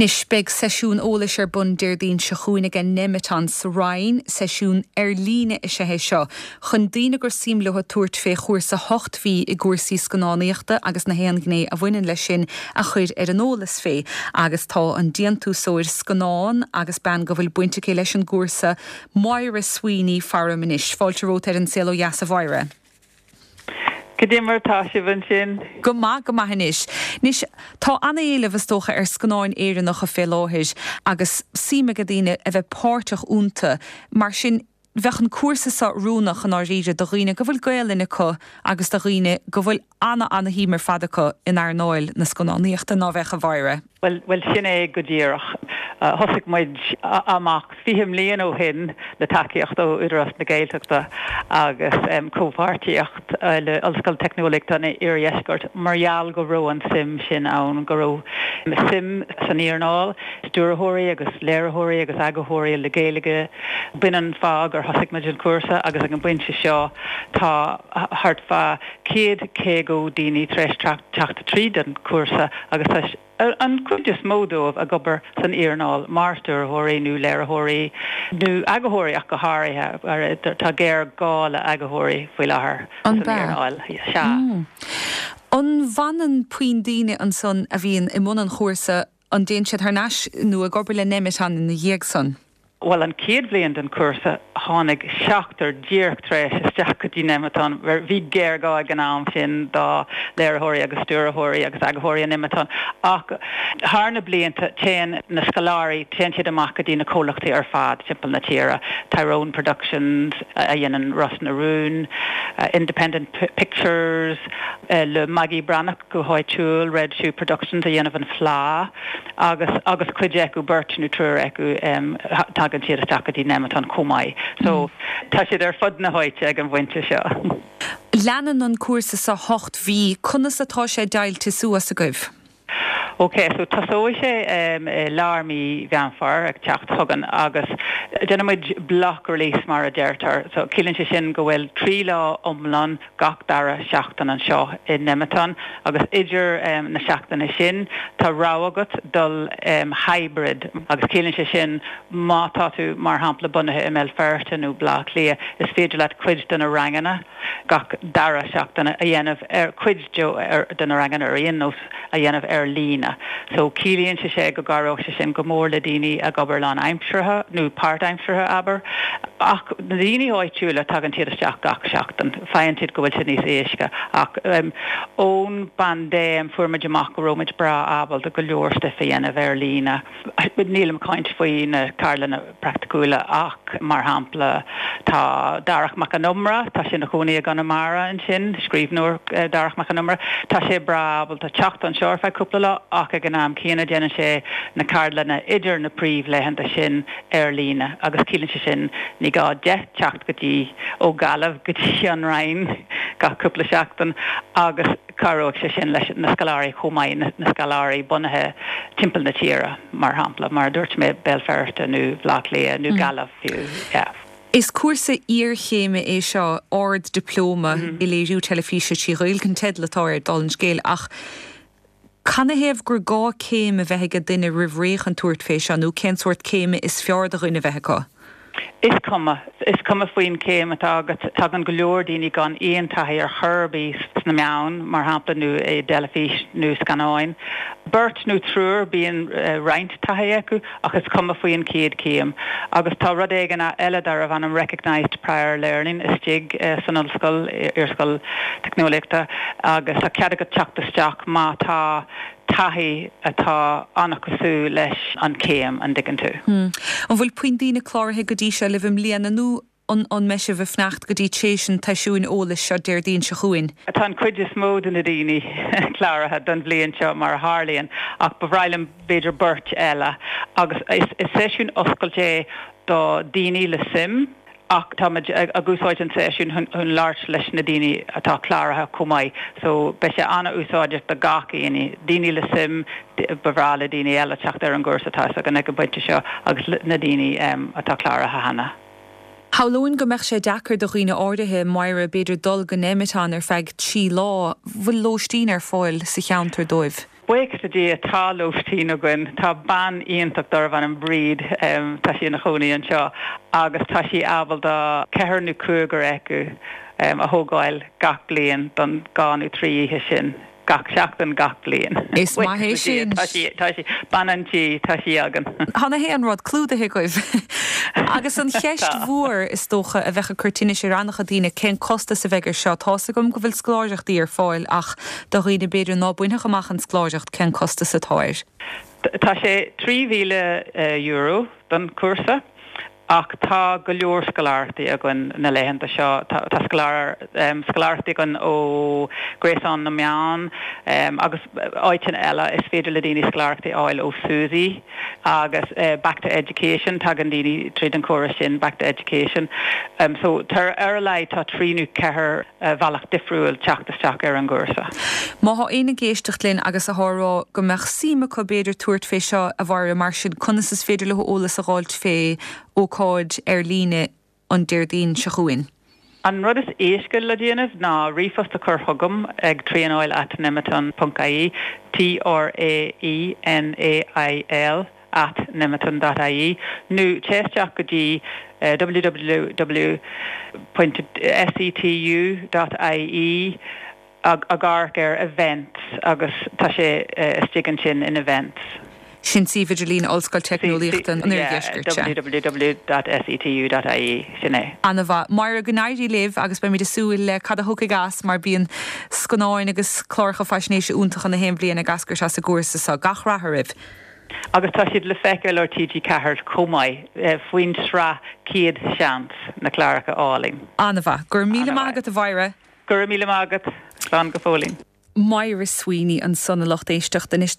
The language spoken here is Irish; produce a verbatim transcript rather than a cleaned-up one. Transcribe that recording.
Anois beidh seisiún eolais ar bun Déardaoin seo chugainn ag an Nemeton sa Rinn, seisiún ar líne is ea é seo, chun daoine gur suim leo tabhairt fé chúrsa hocht mhí i gcúrsaí scannánaíochta agus na haon ghné a bhaineann leis sin a chur ar an eolas fé, agus tá an déantúsóir scannán agus bean go bhfuil baint aici leis an gcúrsa Máire Sweeney faram anois. Fáilte romhat ar An Saol Ó Dheas a Mháire. Cad é mar tá sibh ansin? Go maith go maith anois. Anois tá an-éileamh is dócha ar scannáin Éireannacha fé láthair agus suim ag daoine a bheith páirteach iontu mar sin bheadh an cúrsa seo oiriúnach i ndáiríre do dhaoine go bhfuil Gaelainn acu agus do dhaoine go bhfuil ana ana-shuim ar fad acu in earnáil na scannánaíochta ná bheadh a Mháire. Well well sin é go díreach. Uh, thosaigh muid amach fiche mbliain ó shin le tacaíocht ó Údarás na Gaeltachta agus um, comhpháirtíocht uh, le Ollscoil Teicneolaíochta an Iardheiscirt mar gheall go raibh an suim sin ann go raibh suim san earnáil stiúrthóirí agus léiritheoirí agus eagarthóirí le Gaeilge b'in an fáth gur thosaigh muid an cúrsa agus ag an bpointe seo tá thart fá céad caoga daoine tar éis teacht tríd an cúrsa agus tá an chuid is mó dóibh ag obair san earnáil mar stiúrthóirí nó léiritheoirí nó eagarthóirí ach go háirithe tá géarghá le eagarthóirí faoi láthair san earnáil sea. Mm. An bhfanann puinn daoine ansan a bhíonn i mbun an chúrsa an dtéann siad thar n-ais nó ag obair le Nemeton ina dhiaidh san? Well an chéad bhliain den cúrsa tháinig seachtar díreach tar éis isteach go dtí Nemeton bhí géarghá ag an am sin do léiritheoirí agus stiúrthóirí agus eagarthóirí in Nemeton ach thar na blianta téann na scoláirí téann siad amach go dtí na comhlachtaí ar fad timpeall na tíre Tyrone Productions a dhéanann Ros na Rún uh, Independent Pictures uh, le Maggie Breathnach go háitiúil Red Shoe Productions a dhéanamh an Fleadh agus agus cuid acu beirt nó triúr acu um, tagann siad isteach go dtí Nemeton chomh maith. So mm. tá siad ar fud na háite ag an bpointe seo. Leanann an cúrsa sa hocht mhí conas atá sé deighilte suas agaibh. Ok, so tosóidh sé um, lár mí Mheán Fómhair ag teacht chugainn agus déanaimid block release mar a deirtear, so ciallaíonn sé sin go bhfuil trí lá iomlán gach dara seachtain anseo i Nemeton agus idir um, na seachtaine sin tá rogha agat dul um, hybrid agus ciallaíonn sé sin má tá tú mar shampla bunaithe i mBéal Feirste nó Baile Átha Cliath is féidir leat cuid de na ranganna gach dara seachtain a dhéanamh ar cuid de na ranganna ar aon nós a dhéanamh ar líne. So ciallaíonn sé sé go gcabhróidh sé sin go mór le daoine ag obair lánaimseartha nó páirtaimseartha abair. Ach na daoine áitiúla tagann siad isteach gach seachtain, faigheann siad go bhfuil sé níos éasca ach um, ón bpaindéim fuair muid amach go raibh muid breá ábalta go leor stuif a dhéanamh ar líne. Nílim ag caint faoi na ceardlanna praiticiúla ach mar shampla tá Darach Mac an Iomaire, tá sé ina chónaí i gConamara ansin, scríbhneoir uh, Darach Mac an Iomaire, Tá sé breá ábalta teacht anseo ar feadh cúpla lá ach ag an am céanna déanann sé na ceardlanna idir na príomhlaethanta sin ar líne agus ciallaíonn sé sin ní gá dó teacht go dtí ó Ghaillimh go dtí an Rinn gach cúpla seachtain agus cabhróidh sé sin leis na scoláirí chomh maith na scoláirí bunaithe timpeall na tíre mar shampla mar dúirt mé Béal Feirste nó Baile Átha Cliath nó mm. Gaillimh fiú. Yeah. Is cúrsa iarchéime é seo ard-dioplóma mm -hmm. i léiriú teilifíse trí Ghaeilge an teideal atá air dála an scéil ach Canathaobh gur gá céim a bheith ag duine roimh ré chun tabhairt fé seo nó cén sórt céime is fearr do dhuine bheith acu? Is cuma is cuma faoin céim atá agat tagann go leor daoine gan aon taithí ar chor ar bith sna meáin mar shampla nó i dteilifís nó scannáin. Beirt nó triúr bíonn uh, roinnt taithí acu ach is cuma faoin chéad céim. Agus tá rud éigin eile darbh ainm recognized prior learning istigh uh, san ollscoil iarscoil teicneolaíochta agus tá cead agat teacht isteach má tá taithí atá an-chosúil leis an céim an dtuigeann tú. Hmm. An bhfuil puinn daoine cláraithe go dtí seo libh i mbliana nó an an mbeidh sibh ag fanacht go dtí tar éis an tseisiúin eolais seo Déardaoin seo chugainn. Tá an chuid is mó de na daoine cláraithe don bhliain seo mar a tharlaíonn ach ba bhreá liom b'fhéidir beirt eile agus is, is seisiún oscailte é do daoine le suim ach táimid ag úsáid an seisiún chun labhairt leis na daoine atá cláraithe chomh maith, so beidh sé an-úsáideach do gach éinne, daoine le suim ba bhreá le daoine eile teacht ar an gcúrsa atá againn ag an bpointe seo agus na daoine um, atá cláraithe cheana. Shamhlóinn go mbeadh sé deacair do dhaoine áirithe Máire b'fhéidir dul go Nemeton ar feadh trí lá bhfuil lóistín ar fáil sa cheantar dóibh. Buíochas le Dia tá lóistín againn tá bean iontach darbh ainm Bríd um, tá sí ina cónaí anseo agus tá sí ábalta ceathrar nó cúigear acu um, a thógáil gach bliain don dhá nó trí oíche sin gach seachtain gach bliain. Is maith é sin. Tá sí tá sí bean an tí tá sí againn. Tá an rud clúdaithe agaibh. Agus an cheist mhór is dócha a bheadh ag cur tinnis ar an-chuid daoine cén costas a bheidh air seo Tá's agam go bhfuil scoláireachtaí ar fáil ach do dhaoine b'fhéidir ná bainfeadh amach an scoláireacht cén costas atá air. Tá sé trí mhíle euro don cúrsa. ach tá go leor scoláireachtaí againn na laethanta seo tá um, scoláireachtaí againn ó Gréasán na Meán um, agus áiteanna eile is féidir le daoine scoláireachtaí a fháil ó SUSI agus uh, back to education tagann daoine tríd an córas sin back to education. Um, so tar ar a laghad tá trí nó ceathair uh, bhealach difriúil teacht isteach ar an gcúrsa. Má tá éinne ag éisteacht linn agus a rá go mbeadh suim acu b'fhéidir tabhairt fé seo a Mháire mar sin conas is féidir leo eolas a fháilt fé ócáid ar líne an Déardaoin seo chugainn. An rud is éasca le déanamh ná ríomhphost a chur chugam ag traenáil at nemeton.ie T R A E N A I L at nemeton.ie nó téigh isteach go dtí uh, www.setu.ie ag amharc ar events agus tá sé uh, istigh ansin in events. Sin suíomh idirlín Ollscoil Teicneolaíochta an www.setu.ie sin é. An-mhaith Máire go n-éirí libh agus beimid ag súil le cad a thiocfaidh as mar bíonn scannáin agus cláracha faisnéise iontacha na haon bhliain ag eascairt as an gcúrsa seo gach rath oraibh. Agus tá siad le feiceáil ar TG Ceathair chomh maith faoin sraith céad seans na cláracha álainn. An-mhaith, gur míle maith agat a Mháire? Gur míle maith agat slán go fóillín. Máire Sweeney ansan a lucht éisteachta anois